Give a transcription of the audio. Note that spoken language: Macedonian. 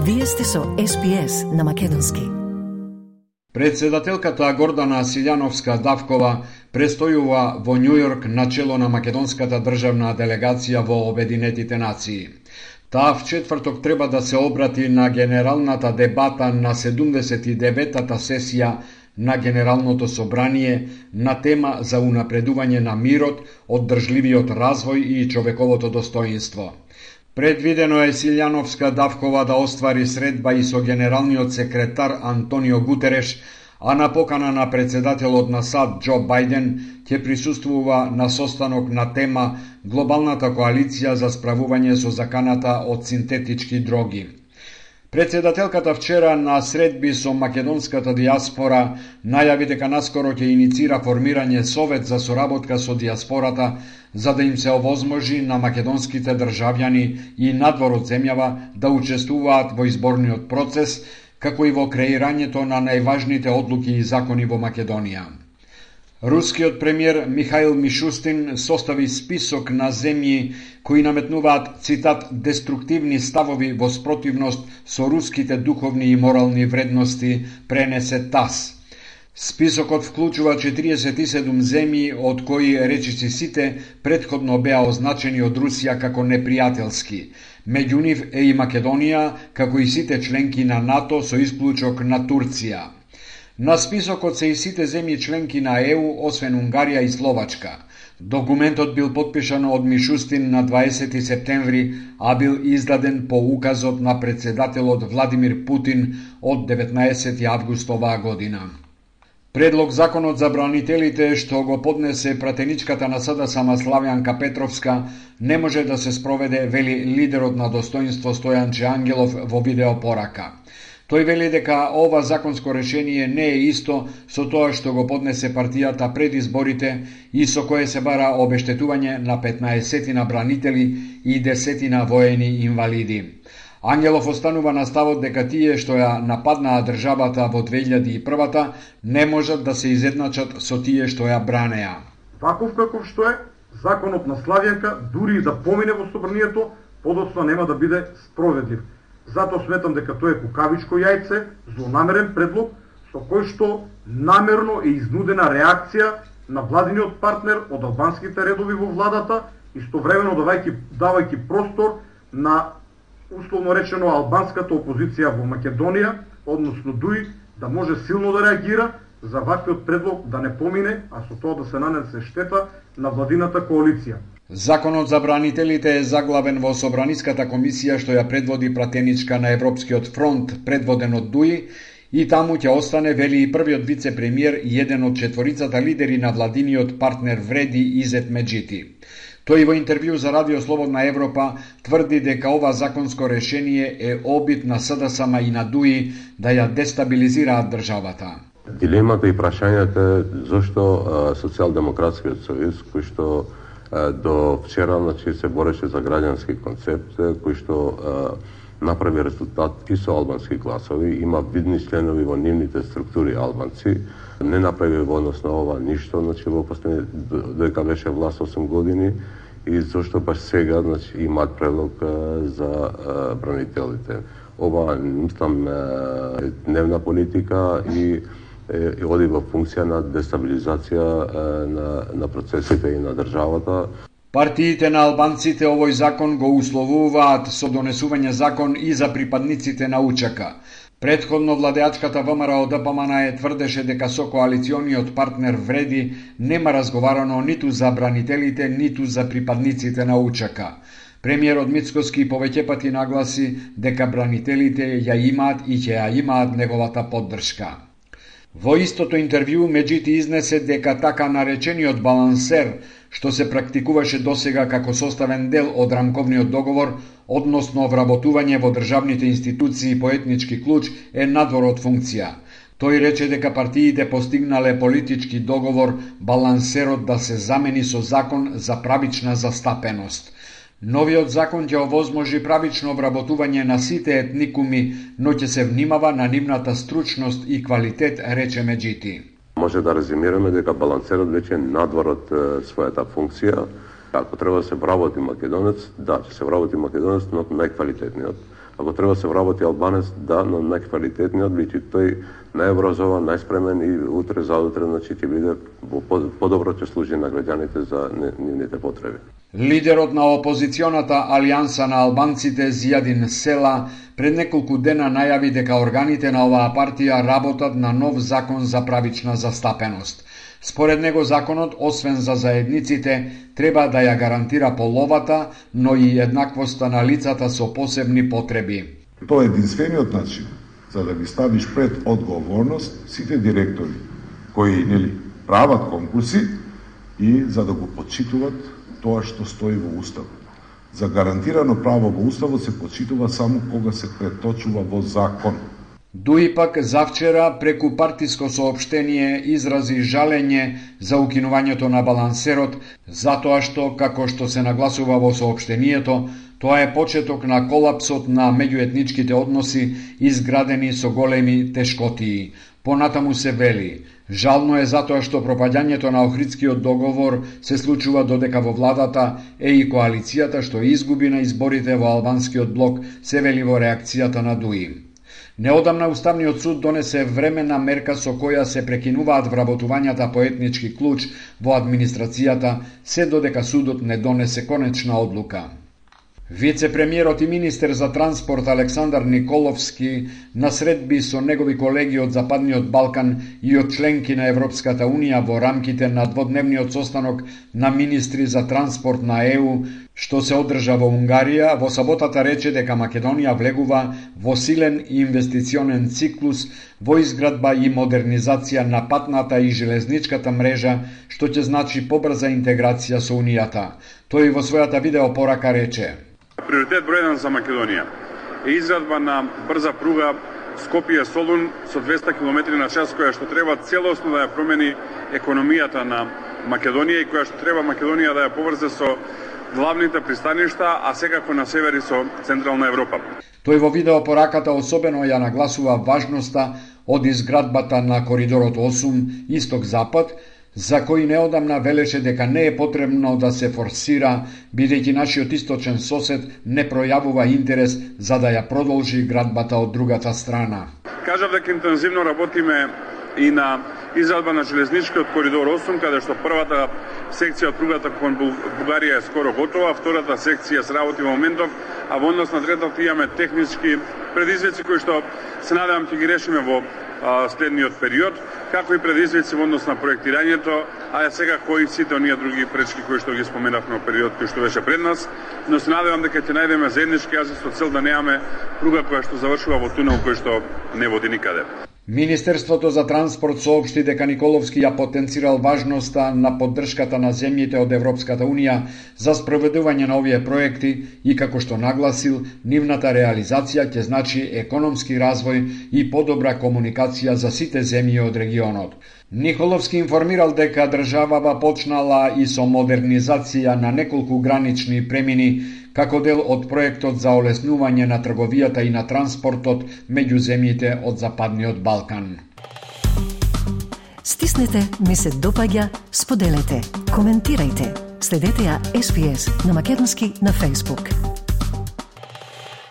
Вие сте со SPS на македонски. Председателката Гордана Силјановска-Давкова престојува во Њујорк начело на македонската државна делегација во Обединетите нации. Таа в четврток треба да се обрати на генералната дебата на 79-та сесија на Генералното собрание на тема за унапредување на мирот, оддржливиот развој и човековото достоинство. Предвидено е Силјановска-Давкова да оствари средба и со генералниот секретар Антонио Гутереш, а на покана на председателот на САД Џо Бајден ќе присуствува на состанок на тема Глобалната коалиција за справување со заканата од синтетички дроги. Председателката вчера на средби со македонската диаспора најави дека наскоро ќе иницира формирање совет за соработка со диаспората за да им се овозможи на македонските државјани и надвор од земјава да учествуваат во изборниот процес, како и во креирањето на најважните одлуки и закони во Македонија. Рускиот премиер Михаил Мишустин состави список на земји кои наметнуваат, цитат, деструктивни ставови во спротивност со руските духовни и морални вредности, пренесе ТАСС. Списокот вклучува 47 земји, од кои речиси сите претходно беа означени од Русија како непријателски. Меѓу нив е и Македонија, како и сите членки на НАТО со исклучок на Турција. На списокот се и сите земји членки на ЕУ, освен Унгарија и Словачка. Документот бил подпишан од Мишустин на 20 септември, а бил издаден по указот на председателот Владимир Путин од 19 август оваа година. Предлог законот за бранителите што го поднесе пратеничката на СДСМ Славјанка Петровска не може да се спроведе, вели лидерот на достоинство Стојанче Ангелов во видеопорака. Тој вели дека ова законско решение не е исто со тоа што го поднесе партијата пред изборите и со кое се бара обештетување на 15 бранители и 10 воени инвалиди. Ангелов останува на ставот дека тие што ја нападнаа државата во 2001 не можат да се изедначат со тие што ја бранеа. Ваков каков што е, законот на Славјанка, дури и да помине во собранието, подоцна нема да биде спроведлив. Затоа сметам дека тоа е кукавичко јајце, злонамерен предлог, со кој што намерно е изнудена реакција на владиниот партнер од албанските редови во владата, истовремено давајќи простор на условно речено албанската опозиција во Македонија, односно ДУИ, да може силно да реагира за ваквиот предлог да не помине, а со тоа да се нанесе штета на владината коалиција. Законот за бранителите е заглавен во Собраниската комисија што ја предводи пратеничка на Европскиот фронт, предводен од ДУИ, и таму ќе остане, вели и првиот вице-премиер и еден од четворицата лидери на владиниот партнер Вреди Изет Меджити. Тој во интервју за Радио Слободна Европа тврди дека ова законско решение е обид на СДСМ и на ДУИ да ја дестабилизираат државата. Дилемата и прашањето е зошто Социјалдемократскиот сојуз, кој што до вчера се бореше за граѓански концепт, кој што направи резултат и со албански гласови, има видни членови во нивните структури албанци, не направи во однос на ова ништо, во последни дека беше власт 8 години и зошто баш сега имаат предлог за бранителите. Ова мислам е дневна политика и оди во функција на дестабилизација на процесите и на државата. Партиите на албанците овој закон го условуваат со донесување закон и за припадниците на УЧК. Предходно владеачката ВМРО ДПМН тврдеше дека со коалициониот партнер Вреди нема разговарано ниту за бранителите, ниту за припадниците на УЧК. Премиерот Мицкоски повеќе пати нагласи дека бранителите ја имаат и ќе ја имаат неговата поддршка. Во истото интервју Меджити изнесе дека така наречениот балансер, што се практикуваше досега како составен дел од рамковниот договор, односно вработување во државните институции по етнички клуч, е надвор од функција. Тој рече дека партиите постигнале политички договор балансерот да се замени со закон за правична застапеност. Новиот закон ќе овозможи правично обработување на сите етникуми, но ќе се внимава на нивната стручност и квалитет, рече Меджити. Може да резимираме дека балансерот веќе е надвор од својата функција. Ако треба да се вработи македонец, да, ќе се вработи македонец, но најквалитетниот. Ако треба се вработи албанец, да, но најквалитетниот, бидејќи тој најобразован, најспремен и утре заутре, значи ќе биде подобро ќе служи на граѓаните за нивните потреби. Лидерот на опозиционата Алијанса на албанците Зијадин Села пред неколку дена најави дека органите на оваа партија работат на нов закон за правична застапеност. Според него законот, освен за заедниците, треба да ја гарантира половата, но и еднаквоста на лицата со посебни потреби. Тоа е единствениот начин за да ги ставиш пред одговорност сите директори кои прават конкурси и за да го почитуваат тоа што стои во Уставот. За гарантирано право во Уставот се почитува само кога се преточува во закон. Дуи пак завчера преку партиско соопштение изрази жалење за укинувањето на балансерот, затоа што, како што се нагласува во соопштението, тоа е почеток на колапсот на меѓуетничките односи изградени со големи тешкотии. Понатаму се вели: жално е затоа што пропаѓањето на Охридскиот договор се случува додека во владата е и коалицијата што изгуби на изборите во албанскиот блок, се вели во реакцијата на Дуи. Неодамна Уставниот суд донесе временна мерка со која се прекинуваат вработувањата по етнички клуч во администрацијата, се додека судот не донесе конечна одлука. Вице-премиерот и министер за транспорт Александар Николовски на средби со негови колеги од Западниот Балкан и од членки на Европската Унија во рамките на дводневниот состанок на министри за транспорт на ЕУ, што се одржа во Унгарија, во саботата рече дека Македонија влегува во силен инвестиционен циклус во изградба и модернизација на патната и железничката мрежа, што ќе значи побрза интеграција со Унијата. Тој во својата видеопорака рече: Приоритет број 1 за Македонија е изградба на брза пруга Скопје-Солун со 200 км/час, која што треба целосно да ја промени економијата на Македонија и која што треба Македонија да ја поврзе со главните пристаништа, а секако на север и со Централна Европа. Тој во видеопораката особено ја нагласува важноста од изградбата на коридорот 8 Исток-Запад, за кој неодамна велеше дека не е потребно да се форсира, бидејќи нашиот источен сосед не пројавува интерес за да ја продолжи градбата од другата страна. Кажав дека интензивно работиме и на изградба на железничкиот коридор 8, каде што првата секција од пругата кон Бугарија е скоро готова, втората секција се работи во моментов, а во однос на третата имаме технички предизвици кои што се надевам ќе ги решиме во следниот период, како и предизвици во однос на проектирањето, а секако и сите оние други пречки кои што ги споменавме во период кој што беше пред нас, но се надевам дека ќе најдеме заеднички јазик со цел да немаме пруга која што завршува во тунел кој што не води никаде. Министерството за транспорт соопшти дека Николовски ја потенцирал важноста на поддршката на земјите од Европската Унија за спроведување на овие проекти и како што нагласил, нивната реализација ќе значи економски развој и подобра комуникација за сите земји од регионот. Николовски информирал дека државава почнала и со модернизација на неколку гранични премини како дел од проектот за олеснување на трговијата и на транспортот меѓу земјите од Западниот Балкан. Стиснете, ми се допаѓа, споделете, коментирајте. Следете ја SPS на македонски на Facebook.